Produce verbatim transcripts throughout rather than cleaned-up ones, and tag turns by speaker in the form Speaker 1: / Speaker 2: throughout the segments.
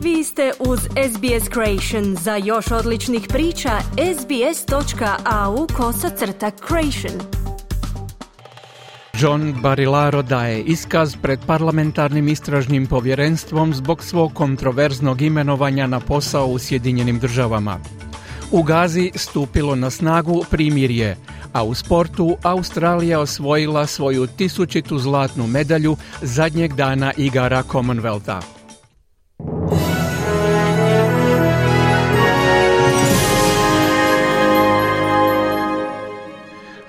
Speaker 1: Vi ste uz S B S Creation. Za još odličnih priča, sbs.au kosacrta creation.
Speaker 2: John Barilaro daje iskaz pred parlamentarnim istražnim povjerenstvom zbog svog kontroverznog imenovanja na posao u Sjedinjenim državama. U Gazi stupilo na snagu primirje, a u sportu Australija osvojila svoju tisućitu zlatnu medalju zadnjeg dana igara Commonwealtha.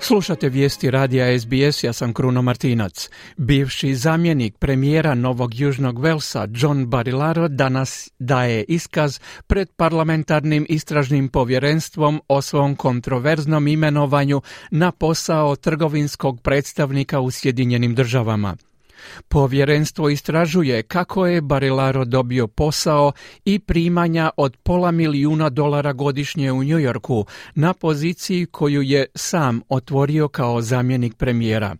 Speaker 2: Slušate vijesti radija S B S, ja sam Kruno Martinac. Bivši zamjenik premijera Novog Južnog Velsa John Barilaro danas daje iskaz pred parlamentarnim istražnim povjerenstvom o svom kontroverznom imenovanju na posao trgovinskog predstavnika u Sjedinjenim državama. Povjerenstvo istražuje kako je Barilaro dobio posao i primanja od pola milijuna dolara godišnje u New Yorku na poziciji koju je sam otvorio kao zamjenik premijera.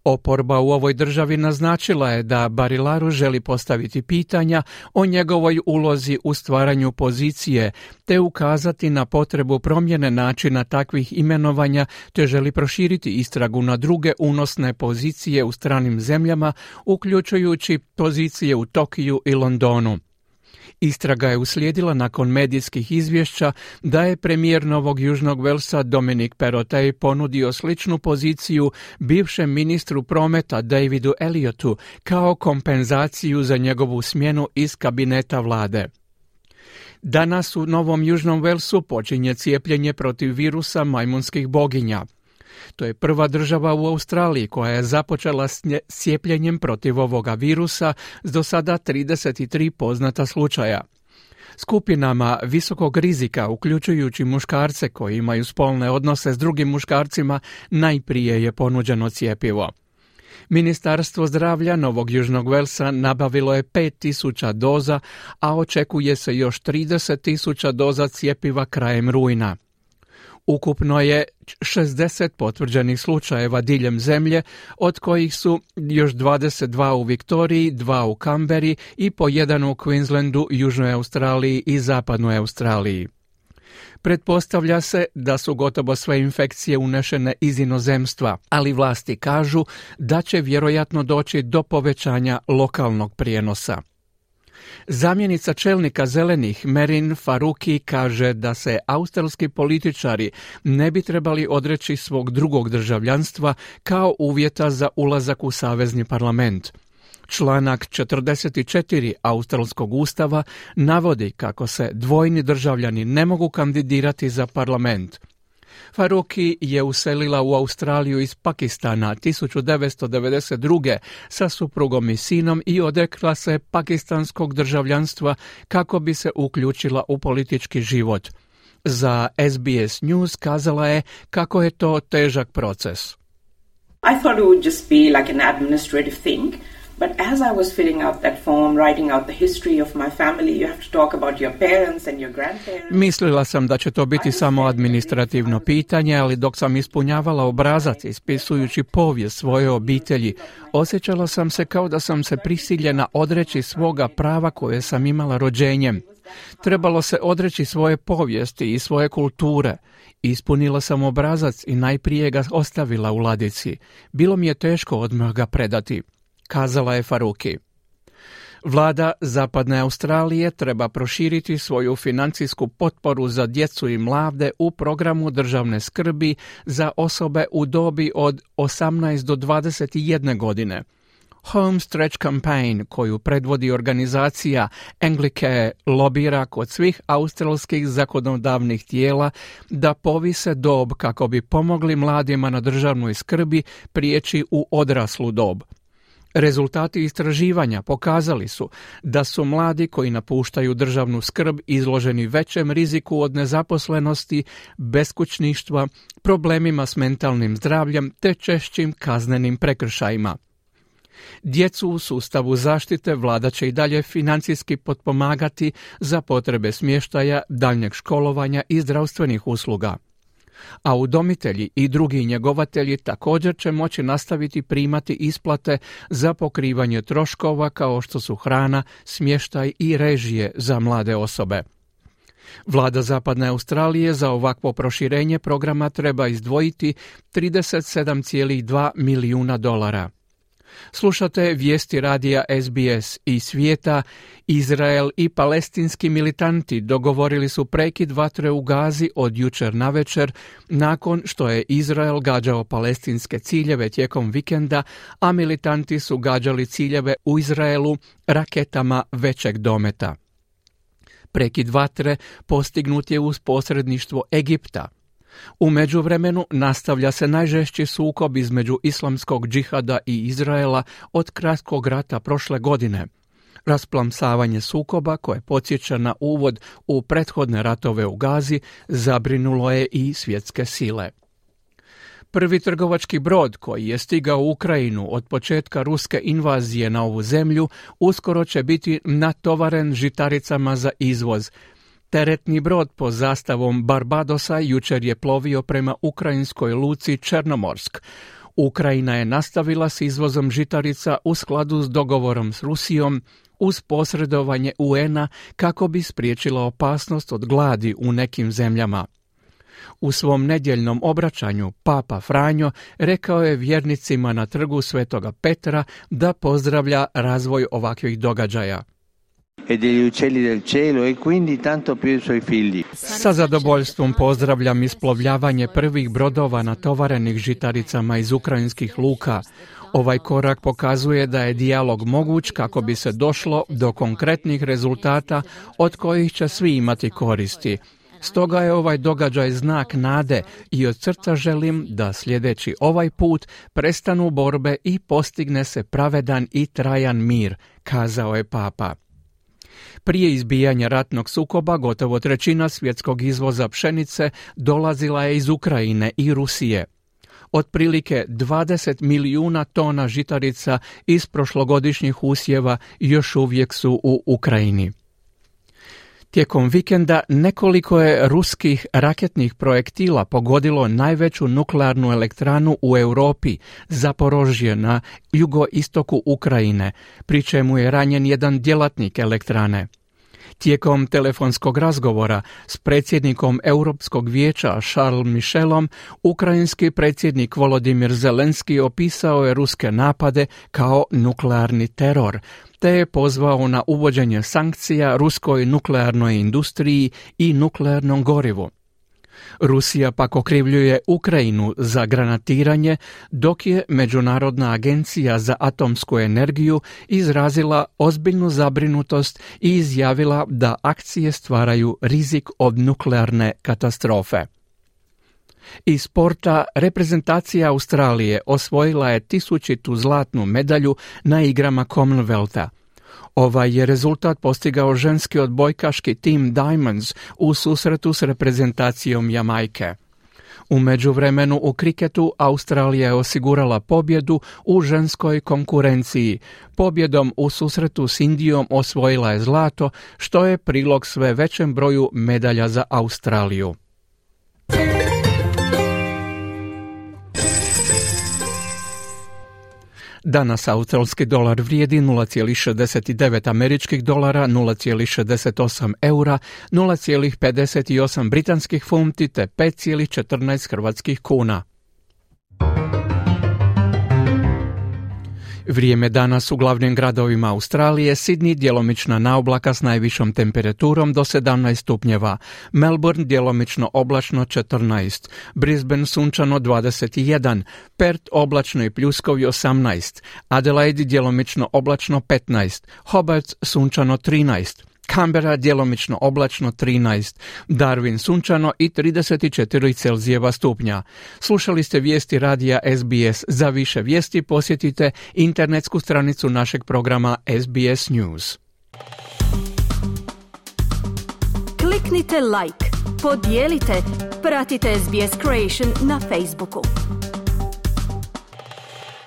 Speaker 2: Oporba u ovoj državi naznačila je da Barilaro želi postaviti pitanja o njegovoj ulozi u stvaranju pozicije te ukazati na potrebu promjene načina takvih imenovanja te želi proširiti istragu na druge unosne pozicije u stranim zemljama, uključujući pozicije u Tokiju i Londonu. Istraga je uslijedila nakon medijskih izvješća da je premijer Novog Južnog Velsa Dominic Perrottet ponudio sličnu poziciju bivšem ministru prometa Davidu Elliotu kao kompenzaciju za njegovu smjenu iz kabineta vlade. Danas u Novom Južnom Velsu počinje cijepljenje protiv virusa majmunskih boginja. To je prva država u Australiji koja je započela s cijepljenjem protiv ovoga virusa s do sada trideset tri poznata slučaja. Skupinama visokog rizika, uključujući muškarce koji imaju spolne odnose s drugim muškarcima, najprije je ponuđeno cjepivo. Ministarstvo zdravlja Novog Južnog Velsa nabavilo je pet tisuća doza, a očekuje se još trideset tisuća doza cjepiva krajem rujna. Ukupno je šezdeset potvrđenih slučajeva diljem zemlje, od kojih su još dvadeset dva u Viktoriji, dva u Kamberi i po jedan u Queenslandu, Južnoj Australiji i Zapadnoj Australiji. Pretpostavlja se da su gotovo sve infekcije unešene iz inozemstva, ali vlasti kažu da će vjerojatno doći do povećanja lokalnog prijenosa. Zamjenica čelnika zelenih Merin Faruqi kaže da se australski političari ne bi trebali odreći svog drugog državljanstva kao uvjeta za ulazak u savezni parlament. Članak četrdeset četiri australskog ustava navodi kako se dvojni državljani ne mogu kandidirati za parlament. Faruqi je uselila u Australiju iz Pakistana tisuću devetsto devedeset druge sa suprugom i sinom i odrekla se pakistanskog državljanstva kako bi se uključila u politički život. Za S B S News kazala je kako je to težak proces.
Speaker 3: I thought it would just be like an administrative thing. But as I was filling out that form, writing out the history of my family, you have to talk about your parents and your grandparents.
Speaker 2: Mislila sam da će to biti samo administrativno pitanje, ali dok sam ispunjavala obrazac ispisujući povijest svoje obitelji, osjećala sam se kao da sam se prisiljena odreći svoga prava koje sam imala rođenjem. Trebalo se odreći svoje povijesti i svoje kulture. Ispunila sam obrazac i najprije ga ostavila u ladici. Bilo mi je teško odmah ga predati, kazala je Faruqi. Vlada Zapadne Australije treba proširiti svoju financijsku potporu za djecu i mlade u programu državne skrbi za osobe u dobi od osamnaest do dvadeset jedne godine. Home Stretch Campaign, koju predvodi organizacija Anglicare, lobira kod svih australskih zakonodavnih tijela da povise dob kako bi pomogli mladima na državnoj skrbi prijeći u odraslu dob. Rezultati istraživanja pokazali su da su mladi koji napuštaju državnu skrb izloženi većem riziku od nezaposlenosti, beskućništva, problemima s mentalnim zdravljem te češćim kaznenim prekršajima. Djecu u sustavu zaštite vlada će i dalje financijski potpomagati za potrebe smještaja, daljnjeg školovanja i zdravstvenih usluga. A udomitelji i drugi njegovatelji također će moći nastaviti primati isplate za pokrivanje troškova kao što su hrana, smještaj i režije za mlade osobe. Vlada Zapadne Australije za ovakvo proširenje programa treba izdvojiti trideset sedam zarez dva milijuna dolara. Slušate vijesti radija S B S iz svijeta. Izrael i palestinski militanti dogovorili su prekid vatre u Gazi od jučer navečer nakon što je Izrael gađao palestinske ciljeve tijekom vikenda, a militanti su gađali ciljeve u Izraelu raketama većeg dometa. Prekid vatre postignut je uz posredništvo Egipta. U međuvremenu nastavlja se najžešći sukob između islamskog džihada i Izraela od kratkog rata prošle godine. Rasplamsavanje sukoba, koje podsjeća na uvod u prethodne ratove u Gazi, zabrinulo je i svjetske sile. Prvi trgovački brod koji je stigao u Ukrajinu od početka ruske invazije na ovu zemlju uskoro će biti natovaren žitaricama za izvoz. Teretni brod pod zastavom Barbadosa jučer je plovio prema ukrajinskoj luci Černomorsk. Ukrajina je nastavila s izvozom žitarica u skladu s dogovorom s Rusijom uz posredovanje U N-a kako bi spriječila opasnost od gladi u nekim zemljama. U svom nedjeljnom obraćanju Papa Franjo rekao je vjernicima na trgu Svetoga Petra da pozdravlja razvoj ovakvih događaja. Sa zadovoljstvom pozdravljam isplovljavanje prvih brodova natovarenih žitaricama iz ukrajinskih luka. Ovaj korak pokazuje da je dijalog moguć kako bi se došlo do konkretnih rezultata od kojih će svi imati koristi. Stoga je ovaj događaj znak nade i od srca želim da sljedeći ovaj put prestanu borbe i postigne se pravedan i trajan mir, kazao je Papa. Prije izbijanja ratnog sukoba gotovo trećina svjetskog izvoza pšenice dolazila je iz Ukrajine i Rusije. Otprilike dvadeset milijuna tona žitarica iz prošlogodišnjih usjeva još uvijek su u Ukrajini. Tijekom vikenda nekoliko je ruskih raketnih projektila pogodilo najveću nuklearnu elektranu u Europi, Zaporožje, na jugoistoku Ukrajine, pri čemu je ranjen jedan djelatnik elektrane. Tijekom telefonskog razgovora s predsjednikom Europskog vijeća Charles Michelom, ukrajinski predsjednik Volodimir Zelenski opisao je ruske napade kao nuklearni teror, te je pozvao na uvođenje sankcija ruskoj nuklearnoj industriji i nuklearnom gorivu. Rusija pak okrivljuje Ukrajinu za granatiranje, dok je Međunarodna agencija za atomsku energiju izrazila ozbiljnu zabrinutost i izjavila da akcije stvaraju rizik od nuklearne katastrofe. Iz sporta, reprezentacija Australije osvojila je tisućitu zlatnu medalju na igrama Commonwealtha. Ovaj je rezultat postigao ženski odbojkaški tim Diamonds u susretu s reprezentacijom Jamajke. U međuvremenu u kriketu Australija je osigurala pobjedu u ženskoj konkurenciji. Pobjedom u susretu s Indijom osvojila je zlato, što je prilog sve većem broju medalja za Australiju. Danas australski dolar vrijedi nula zarez šezdeset devet američkih dolara, nula zarez šezdeset osam eura, nula zarez pedeset osam britanskih funti te pet zarez četrnaest hrvatskih kuna. Vrijeme danas u glavnim gradovima Australije: Sydney djelomična naoblaka s najvišom temperaturom do sedamnaest stupnjeva, Melbourne djelomično oblačno četrnaest, Brisbane sunčano dvadeset jedan, Perth oblačno i pljuskovi osamnaest, Adelaide djelomično oblačno petnaest, Hobart sunčano trinaest, Canberra djelomično oblačno trinaest, Darwin sunčano i trideset četiri Celzijeva stupnja. Slušali ste vijesti radija S B S. Za više vijesti posjetite internetsku stranicu našeg programa S B S News.
Speaker 1: Kliknite like, podijelite, pratite S B S Creation na Facebooku.